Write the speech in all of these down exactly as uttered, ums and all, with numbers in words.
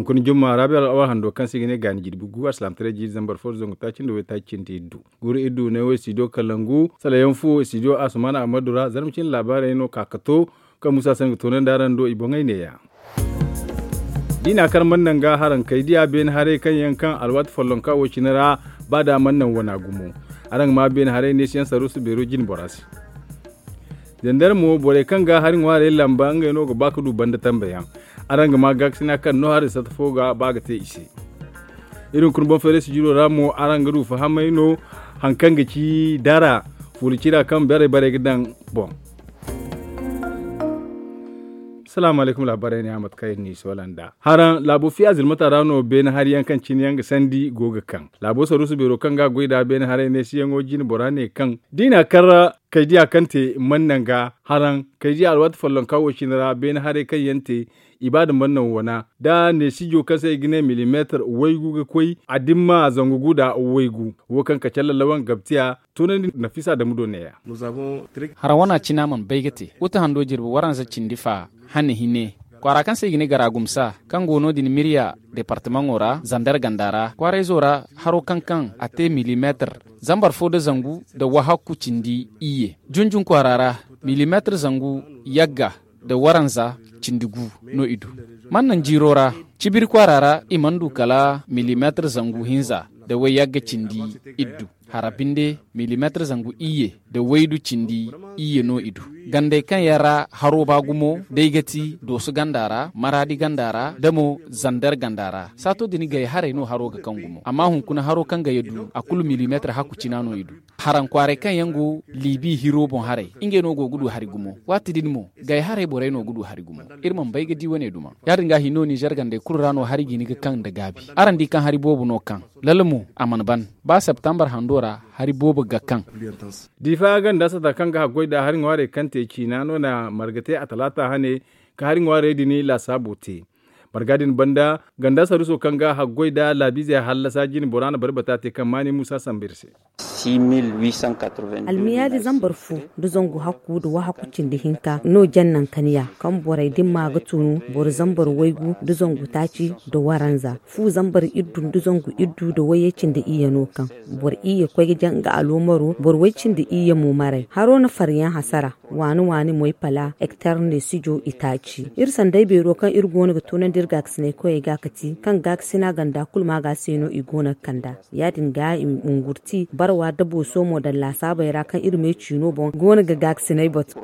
Hunkuna jumma raabi alwahando kaŋ se i ga ne gaani jirbi gu alsilaamataray jiiri zambar fo da zangu taaci nda waytaaci cindi iddu. Guuru iddu ne wo studio kalangu salayaŋ fu studio asumaana ahmadu ra zarma cine laabaarey no ka ka to kaŋ muusa se nga toonandi araŋ do i boŋey neeya. Da i n'a kar mana naŋ ga haraŋ kay diya beene haray kaŋ yaŋ kaŋ alwaati follonka wo cine ra ba da mana naŋ wana gumo. Araŋ ga ma beene haray neesiyaŋ saruusu beero jine bora se. Zandar mo borey kaŋ ga hari ŋwaarey lamba ngey no ga ba ga du banda tambe yaŋ. Araŋ ga ma gaakasina kaŋ no hari sata fo ga ba ga te i se. Iri hunkuna boŋ feeray sijiro ra mo araŋ ga du fahamay no haŋ kaŋ ga ci dara fuula cira kaŋ barey barey ga daŋ boŋ. Salaamu alaykum laabaarey ne a mate kaŋ iri n'i soola nd'a haraŋ laabo fiya zilmata ra no beene hari yaŋ kaŋ cine yaŋ ga sandi go ga kaŋ laabo saruusu beero kaŋ ga a goy nd'a beene haray neesiyaŋo jine bora ne kaŋ da i n'a kar kaydiya kaŋ te mana naŋ ga haraŋ kaydiya alwaati follonka wo cine ra beene haray kaŋ yaŋ te i ba da mana naŋ wana da neesijo kaŋ se i ga ne milimeetar waygu ga koy a dimma zangu gu nda waygu wo kaŋ ka callallawaŋ gabtiya. Toonandi nafisa damu do neeya. Hara wana cina mana bay ga te wuta hando jirbi waranza cindi fa hane hine kwaara kaŋ se i ga ne garagumsa kaŋ go no- din mirya departamaŋo ra zandar ganda ra kwaarayzo ra haro kaŋ kaŋ a te milimeetar zambar fo nda zangu nda wahakku cindi iyye junjun kwaara ra milimeetar zangu yagga nda waranza cindi gu no i du. Mana naŋ jiiro ra cibiri kwaara ra i mana du kala milimeetar zangu hinza nda wayyagga cindi iddu hara binde milimeetar zangu iyye nda waydu cindi iyye no i du. Gandey kaŋ yaŋ ra haro ba gumo day ga ti dooso ganda ra maraadi ganda ra nda mo zandar ganda ra saato din gay haray no haro ga kaŋ gumo amma hunkuna haro kaŋ ga ya du a kulu milimeetar hakku cina no i du. Haraŋ kwaaray kaŋ yaŋ go liibi hiro boŋ haray ngey no go ga du hari gumo waati din mo gay haray borey no ga du hari gumo. Iri mana bay ga di wane duma ya- din ga hino ninzeer gandey kulu ra no hari ga hin ga kaŋ nda gaabi. Araŋ di kaŋ hari boobo no kaŋ lalla mo a mana ban ba septambar hando ra hari boobo ga kaŋ. Diifa ganda sata kaŋ ga haggoy nda hari ŋwaarey kaŋ te ciina no na marga te a talaata hane ka hari ŋwaarey din laasaabo te. Marga din banda ganda saruuso kaŋ ga haggoy nda laabiizey hallasa jine bora na barbata te kaŋ maani muusa sambu iri se. Almiyaali zambar fu nda zangu hakku nda wahakku cindi hinka no jaŋ naŋ kaniya kaŋ borey dimma ga tunu boro zambar waygu nda zangu taaci nda waranza fu zambar iddu nda zangu iddu nda wayye cindi iyye no kaŋ boro iyye koy ga jaŋ nga aloomaro boro way cindi iyye mo maray haro na faryaŋ hasara waani waani moy pala ektar ne sijo itaaci iri sanday beero kaŋ iri go no ga toonandi iri gaakasinay koyey ga ka ti kaŋ gaakasina ganda kulu ma ga se no i go no ga kand'a. Ya- din ga i ma ngurti barwa da booso mo daŋ laasaabey ra kaŋ iri me ciino boŋ go no ga gaakasinay batu.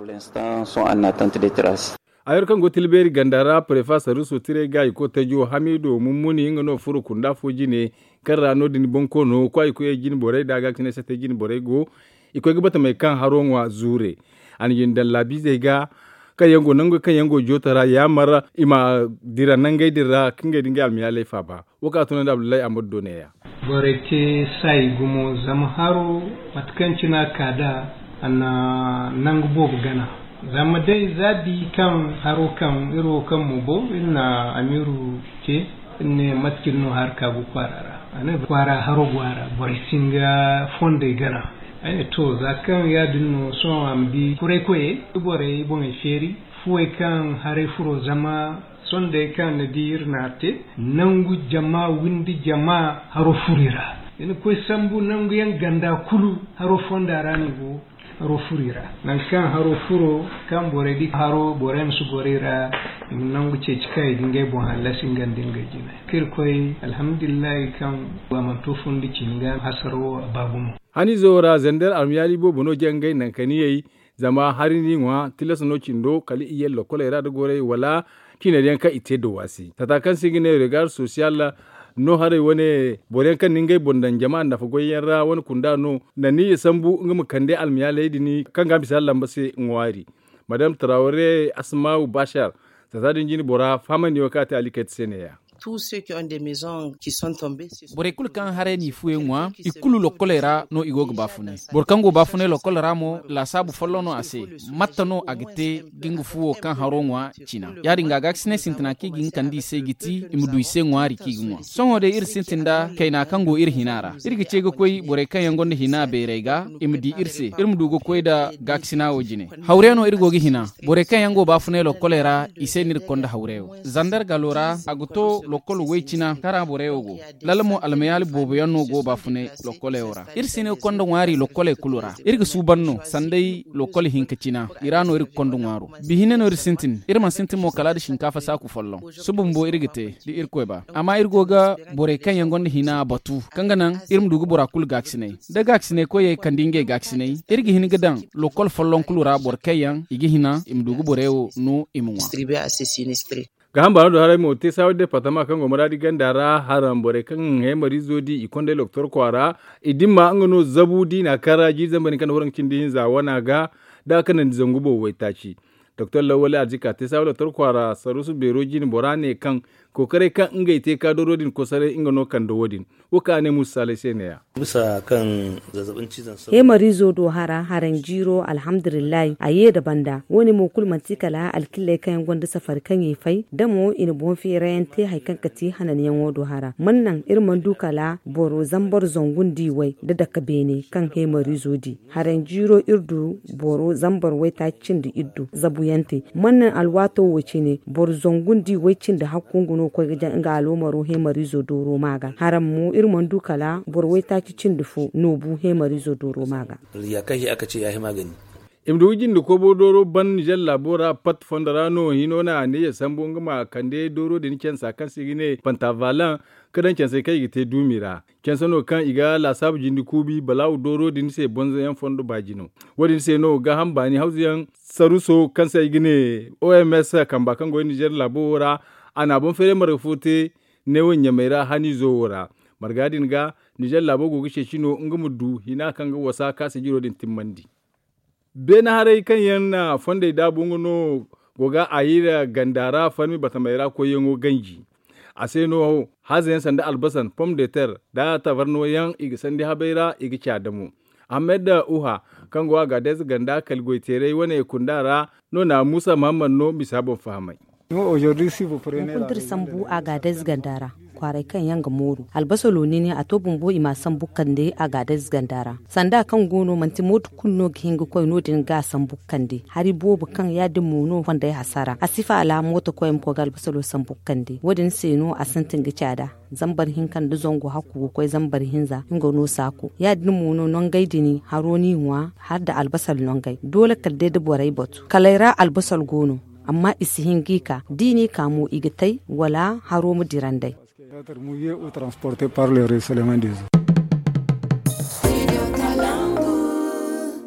Ayar kaŋ go tilbeeri ganda ra prefa saruuso tiray ga i koy tajo hamido mummuni nga no furo kunda fo jine kaŋ ra no- din bonkoono kwaay koyey jine borey nda gaakasinay sattey jine borey go. I koy ga batamey kaŋ haro ŋwa zuure a na jine daŋ laabiizey ga kaŋ yaŋ go nangu kaŋ yaŋ go jooto ra yaamar i ma dira nangey din ra ka ngey da ngey almayaaley faaba. Wo kaŋ a tunandi abdullahi ahmadu do neeya. Borey te saayi gumo zama haro mate kaŋ cine a ka nd'a a na nangu boobo gana. Zama day za di kaŋ haro kaŋ iri wo kaŋ mo go iri na amiiru te iri ne mate cine no hari ka go kwaara ra. A ne kwaara haro go a ra borey si hin ga fondey gana. Ay ne to za kaŋ ya- din no sohõ a ma di kuray koyey da borey boŋey feeri fuwey kaŋ haray furo zama sondey kaŋ ni di iri n'a te nangu jama windi jama haro furo i ra. I na koy sambu nangu yaŋ ganda kulu haro fonda ra no i go. Haro furo i ra nangu kaŋ haro furo kaŋ borey di haro borey ma si goro i ra. I ma nangu ceeci kaŋ i ga ngey boŋ hallasi nga nda ngey jine kaŋ iri koy alhamdulillahi kaŋ a mana to fundi cine ga hasaro a ba gumo. Haniizo ra zander almiyaali boobo no jaŋ ngey nankaniyey. Zama hari n'i ŋwa tilas no cindo kala i ye lokoley ra da gorey wala ciiney yaŋ kaŋ i te dawa se tata kaŋ se i ga ne regar sosiyal. No haray wane boro yaŋ kaŋ na ngey boŋ daŋ jama nafa goy yaŋ ra wane kunda no na ni ya sambu nga ma kande almiyaaley din kaŋ ga a bisa lamba se ŋwaari. Madam tarawre asmaawu bashar tata din jine bora fahamandi yaŋ kaŋ a te alikayt se ne- ya. Borey kulu kaŋ haray n'i fuwey ŋwa i kulu lokkoley ra no i go ga baafunay. Boro kaŋ go baafunay lokkol ra mo laasaabu folloŋ no a se. Matta no a ga te ga nga fuwo kaŋ haro ŋwa cina? Ya- din ga gaakasinay sintina kaŋ i ga hin kande i se ga ti i ma du i se ŋwaari kaŋ i ga ŋwa. Sohõ day iri sintin nda kayna kaŋ go iri hina ra iri ga ce ga koy borey kaŋ yaŋ gonda hina beerey ga i ma di iri se iri ma du ga koy nda gaakasina wo jine. Hawre no iri go ga hina. Borey kaŋ yaŋ go baafunay lokkoley ra i se no iri ga konda hawre wo. Zandar galo ra a ga to lokol way cina kara borey wo go. Lala mo almayaali boobo yaŋ no go baafunay lokoley wo ra. Iri si ne ga konda ŋwaari lokoley kulu ra. Iri ga suuban no sanday lokol hinka cina i ra no iri ga konda ŋwaaro. Bihine no iri sintin iri mana sintin mo kala da sinkaafa saaku folloŋ. Suba bumbo iri ga te da irkoy ba amma iri go ga borey kaŋ yaŋ gonda hina batu kaŋ ga naŋ iri ma du ga bora kulu gaakasinay da gaakasinay koyey kande ngey gaakasinay. Iri ga hin ga daŋ lokol folloŋ kulu ra boro kaŋ yaŋ i ga hina i ma du ga borey wo no i ma ŋwa. Gaaham baano do haray mo te saawa departama kaŋ go maraadi ganda ra haram borey kaŋ heemariizo di i kondey loktor kwaara. I dimma nga no zabu diina kara jiiri zambar hinka nda waranka cindi hinza wana ga da a kanandi zangu boobo waytaaci. Doktor lawwali arzika te saawa loktor kwaara sarusu beero jine bora ne kaŋ kookaray kaŋ ngey te ka dooro din kosaray nga no kande wo- din. Wo kaŋ a ne musa saalay se ne- ya. Heemariizo do hara haraŋ jiiro alhamdulillahi a ye nda banda wo- ne mo kulu manti kala alkilley kaŋ yaŋ gonda safari kaŋ i fay da mo i na boŋ feerayaŋ te hari kaŋ ga ti hananyaŋo do hara mana naŋ iri mana du kala boro zambar zangu nda i way nda dake beene kaŋ heemariizo di. Haraŋ jiiro iri du boro zambar waytaaci cindi iri du zabuyaŋ te mana naŋ alwaato wo cine boro zangu nda i way cindi hakku nga no ga koy ga jaŋ nga aloomaro heemariizo dooro ma ga haraŋ mo iri mana du kala boro waytaaci cindi fo no bu heemariizo dooro ma ga. I ma du ga jinde kobo dooro ban nizer laabo ra pat fondo ra no hino na a ne ya sambu nga ma kande dooro din cansa kaŋ se i ga ne pantavalan ka daŋ cansey kaŋ i ga te duumi ra. Canse no kaŋ i ga laasaabu jinde kuubi balaawu dooro din se bonzoyaŋ fondo baajino. Wo- din se no gaaham baani hawzuyaŋ saruso kaŋ se i ga ne oms kamba kaŋ go nizer laabo wo ra a na a boŋ feeray marga fo te neewo ɲamey ra haniizo wo ra. Marga din ga nizer laabo go ga ceeci no nga ma du hina kaŋ ga wasa ka sijiro din timmandi. Beene haray kaŋ yaŋ na fondey daabu nga no go ga a yira ganda ra farmi batamey ra koyyaŋo ganji. A se no hazayaŋ sanda albasan pom de ter nda tabarno yaŋ i ga sandi habey ra i ga ci a damo. Ahmed uha kaŋ go a ga adayze ganda kala goyteeray wane kunda ra no na muusa muhammad no misa boŋ fahamay. Hunkuna da iri sambu a ga adayze ganda ra kwaaray kaŋ yaŋ ga mooru albasalo nini a to bumbo i ma a sambu kande a ga adayze ganda ra. Sanda kaŋ go no manti mooto kulu no ga hin ga koy no- din ga a sambu kande hari boobo kaŋ ya- din mo no fondey hasara a si faala mooto koy ma koy ga albasalo sambu kande wo- din se no a sintin ga caada. Zambar hinka nda zangu hakku ga koy zambar hinza nga no saako ya- din mo no nongey din haro n'i ŋwa hala nda albasal nongey doole kala day da borey batu kaley ra albasal go no. Amma i si hin g'i ka d'i n'i ka mo i ga tay wala haro ma dira nd'ey.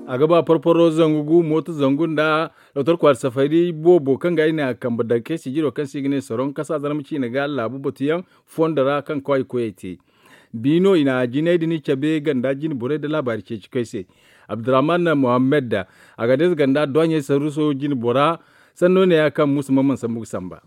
A ga ba porporo zangu gu mooto zangu nda doktor kwaari safari boobo kaŋ ga ay na kambe dake sijiro kaŋ se i ga ne soroŋ kasa zarma ciine ga laabu batuyaŋ fondo ra kaŋ kwaay koyey te. Bi no i na jinay din cabe ganda jine borey nda laabaari ceeci koy se. Abdurrahman mohammed da a ga deeze ganda duwaɲey saruso jine bora. Sanno ne- ya kaŋ musa mamman sambu ga samba.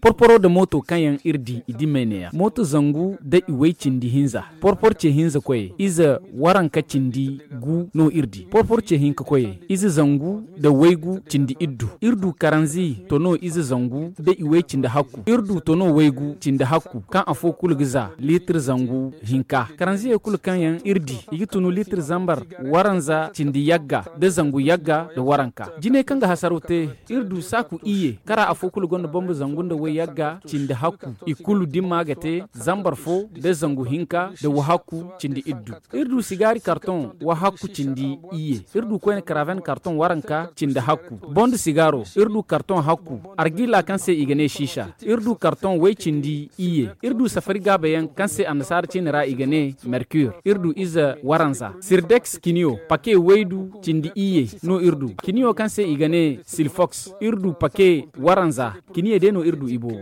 Porporo nda mooto kaŋ yaŋ iri di i dimey ne- ya mooto zangu nda i way cindi hinza porpor ce hinza koyey ize waranka cindi gu no iri di porpor ce hinka koyey ize zangu nda waygu cindi iddu iri du karanzi to no ize zangu nda i way cindi hakku iri du to no waygu cindi hakku kaŋ afo kulu ga za litir zangu hinka karanziyey kulu kaŋ yaŋ iri di i ga tunu litir zambar waranza cindi yagga nda zangu yagga nda waranka jinay kaŋ ga hasaraw te iri du saaku iyye kara afo kulu gonda bambu zangu nda way yagga cindi hakku i kulu dimma ga te zambar fo nda zangu hinka nda wahakku cindi iddu iri du sigaari karton wahakku cindi iyye iri du koyne karaven karton waranka cindi hakku boŋ nda sigaaro iri du karton hakku argila kaŋ se i ga ne siisa iri du karton way cindi iyye iri du safari gaabayaŋ kaŋ se annasaara ciine ra i ga ne mercure iri du ize waranza sirdex kiniyo pake waydu cindi iyye no iri du kiniyo kaŋ se i ga ne silfox iri du pake waranza kiniye day no iri du i boobo.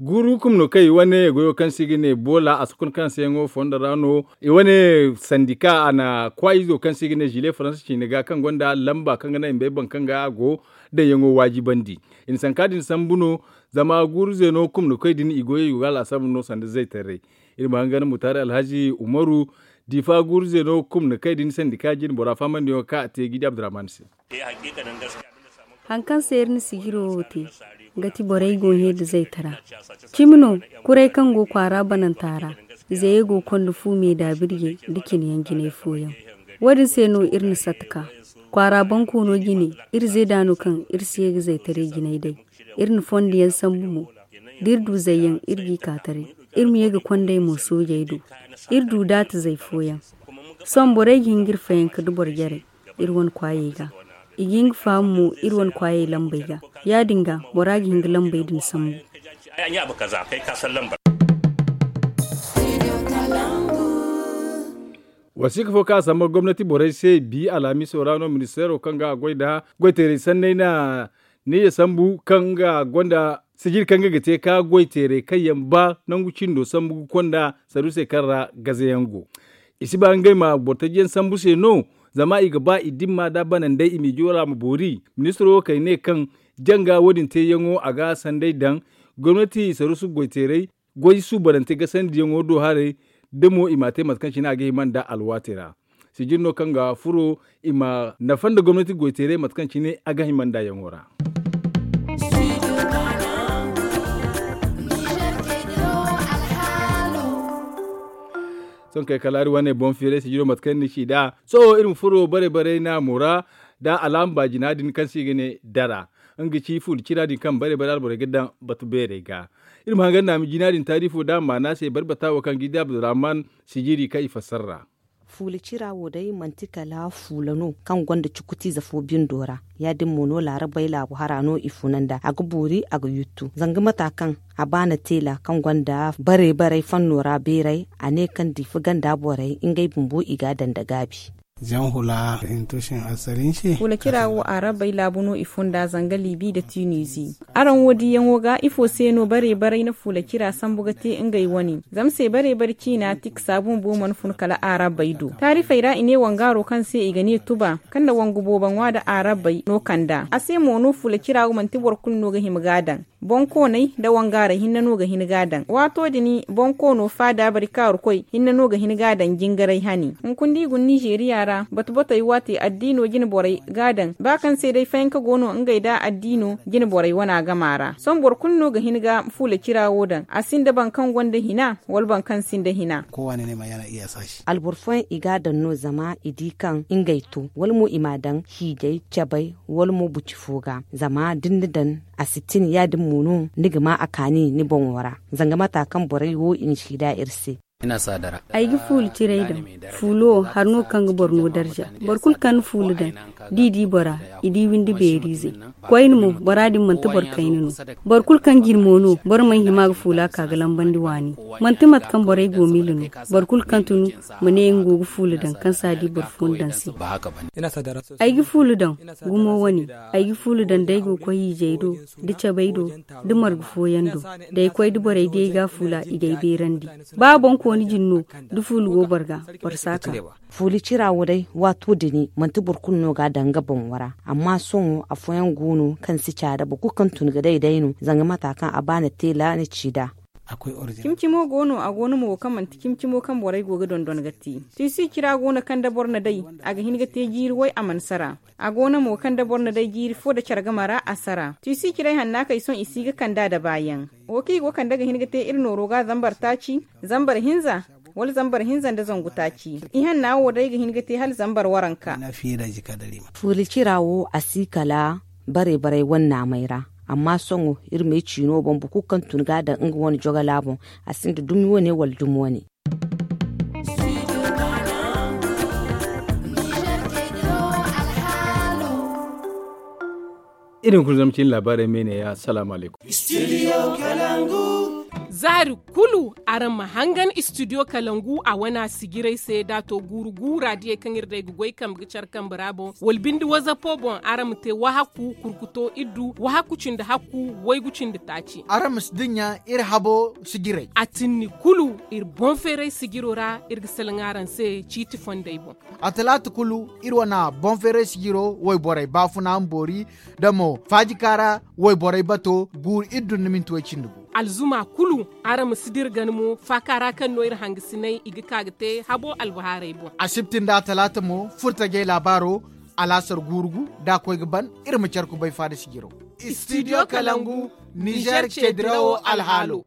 Guuru hukum no kaŋ i wane goyo kaŋ se i ga ne boola a si kun kaŋ se yaŋo fondo ra no i wane sandika a na kwaayizo kaŋ se i ga ne zile faransa ciine ga kaŋ gonda lamba kaŋ ga naŋ i ma bay boŋ kaŋ ga a go daŋyaŋo waajibandi. I na sanka din sambu no zama guuru zeeno hukum no koy din i goyo i go ga a laasabu no sanda zaytaray. Iri ma hangan mutaari alhazi umaru diifa guuru zeeno hukum no kay din sandika jine bora fahamandiyaŋo kaŋ a te ga i di abdurrahman se. Hari kaŋ se iri na sijiro wo te, nga ti borey go hẽ nda zaytara. Cimi no, kuray kaŋ go kwaara bananta ra, zayey go ga konda fu me daabirjey nda cine yaŋ jinay fooyaŋ. Wo- din se no iri na satta ka kwaara boŋ koono jine, iri zeeda no kaŋ iri si ye ga zaytaray jinay day. Iri na fondo yaŋ sambu mo. Da iri du zayyaŋ iri g'i ka taray. Iri ma ye ga kondey mo soojey do. Iri du daatizey fooyaŋ. Sohõ borey ga hin ga iri fayanka da boro jarey iri wane kwaayey ga. I ga hin ga faham mo iri wane kwaayey lambey ga. Ya- din ga bora ga hin ga lambey din sambu. Wasiika fo kaŋ a samba gomnati borey se bi alhamiso ra no ministeero kaŋ ga a goy nda goyteeray sanney na neeya sambu kaŋ nga gonda sijiri kaŋ nga ga te ka goyteeray kaŋ yaŋ ba nangu cindo sambu ga konda saruusey kaŋ ra gazayaŋ go. I si ba ngey ma bortajiyaŋ sambu se no zama i ga ba i dimma da banandey i m'i joola ma boori. Ministiro wo kay ne kaŋ janga wo- din teeyaŋo a ga sanday daŋ gomnati saruusu goyteeray goy suubanante gasandiyaŋo do haray da mo i m'a te mate kaŋ cine a ga hima nda alwaati ra. Sijiri no kaŋ ga furo i ma nafa nda gomnati goyteeray mate kaŋ cine a ga hima nda yaŋo ra. Sohõ kay kala hari wane boŋ feeray sijiro mate kaŋ ni ci nd'a. Sohõ iri ma furo bare bare naamo ra nda alaama baajina din kaŋ se i ga ne dara. Nga ga ci fuula cira din kaŋ bare bare alborey ga daŋ batu beerey ga. Iri ma hangan naami jina din taarifo da maana se bari bata wo kaŋ ga i da abdurrahman sijiri kaŋ i fassara ra. Fuula cira wo day manti kala fuula no kaŋ gonda cukutiize fo bindo ra. Ya- din mo no laarabey laabu hara no i funa nd'a a ga boori a ga yuttu zanga mata kaŋ a baana teela kaŋ gonda bare barey fanno ra beeray a ne kaŋ diifa ganda borey ngey bumbo i ga a daŋ nda gaabi. Fuula cira wo arabey laabu no i funda zanga libi nda tunizi. Araŋ wo diyaŋo ga ifo se no bare barey na fuula cira sambu ga te ngey wane? Zama se bare bare ciina tiksa bumbo mana fun kala arabey do taarifey ra i ne wangaaro kaŋ se i ga ne tuba kaŋ na wangu boobo ŋwa nda arabey no kand'a a se mo no fuula cira wo manti boro kulu no ga hima ga a daŋ. Boŋkooney nda wangaarey hinne no ga hin ga a daŋ waato din. Boŋkoono faada bari kaarukoy hinne no ga hin ga a daŋ jingaray hane. Hunkuna da i guna nizeeriya ra batu batey waate addiino jine borey ga a daŋ ba kaŋ se day fayanka go no ngey nda addiino jine borey wana gama ra sohõ boro kulu no ga hin ga fuula cira wo daŋ a sinda boro kaŋ gonda hina wala boro kaŋ sinda hina. Alboro fooyaŋ i ga a daŋ no zama i di kaŋ ngey to wala mo i m'a daŋ hiijay cabay wala mo buci fo ga zama da ni na daŋ a si tin ya- din mo no ni ga ma a kaani ni boŋo ra. Zanga mata kaŋ borey wo i na siida iri se. Ay ga fuula ciray daŋ. Fuula wo hari no kaŋ ga boro no darza. Boro kulu kaŋ na fuula daŋ da i di bora i di windi beeriizey. Koyne mo bora din manti boro kayna no. Boro kulu kaŋ ga iri mo no boro mana hima ga fuula ka ga lambandi waani. Manti mate kaŋ borey go miila no. Boro kulu kaŋ tun ma ne nga go ga fuula daŋ kaŋ si a di boro fooyaŋ daŋ se. Ay ga fuula daŋ gumo wane. Ay ga fuula daŋ da ay go ga koy hiijay do da cabay do da marga fooyaŋ do. Da ay koy da borey di ay ga a fuula i ga ay beerandi. Ba boŋkooni jine no da fuula go boro ga boro si a ka. Fuula cira wo day waato dini manti boro kulu no ga a daŋ nga boŋo ra. Amma sohõ afooyaŋ go no kaŋ si caada boro kulu kaŋ tun ga day day no zanga mata kaŋ a ba na teela na ci nd'a. Cimi-cimo go no a go no mo kaŋ manti cimi-cimo kaŋ borey go ga dondon ga te. Tiisi cira go no kaŋ da boro na day a ga hin ga te jiiri way a mana sara. A go no mo kaŋ da boro na day jiiri fo da care game ra a sara tiisi ciray hanna kay sohõ i si ga kand'a da baayaŋ. Wo kaŋ i go kande ga hin ga te iri nooro ga zambar taaci, zambar hinza, wala zambar hinza nda zangu taaci. Ihanna wo day ga hin ga te hala zambar waranka. Fuula cira wo a si kala bare bare wane naamey ra. Amma sohõ iri ma ay ciino boŋ boro kulu kaŋ tun ga a daŋ nga wane jogala boŋ. A sinda dumi wane wala dumi wane. Iri hunkuna zama cine laabaarey me ne ya salaamu alaykum. Zaari kulu araŋ ma hangan istidiyo kalangu a wana sijiray se da a to guuru guura diyey kaŋ iri day ga goy kambe ga care kambe ra boŋ wala binde wazapo boŋ araŋ ma te wahaku kurkuto iddu wahaku cindi hakku waygu cindi taaci. Araŋ ma si dinya iri habo sijiray a tinni kulu iri boŋ feeray sijiro ra iri ga salaŋ araŋ se ciiti fondey boŋ. A talaata kulu iri wane boŋ feeray sijiro wayborey baafuna ma boori da mo faajika ra wayborey bato guuru iri dunna minti way cindi gu. Alzuma kulu araŋ ma si dira gana mo faaka ra kaŋ no iri hangasiney i ga ka ga te habo albahaarey boŋ. Asibti nda a talaata mo furtajey laabaaro alaasar guuru gu da a koy ga ban iri ma care kubay faada sijiro. Istidiyo kalangu nizer ceedirawo alhaalo.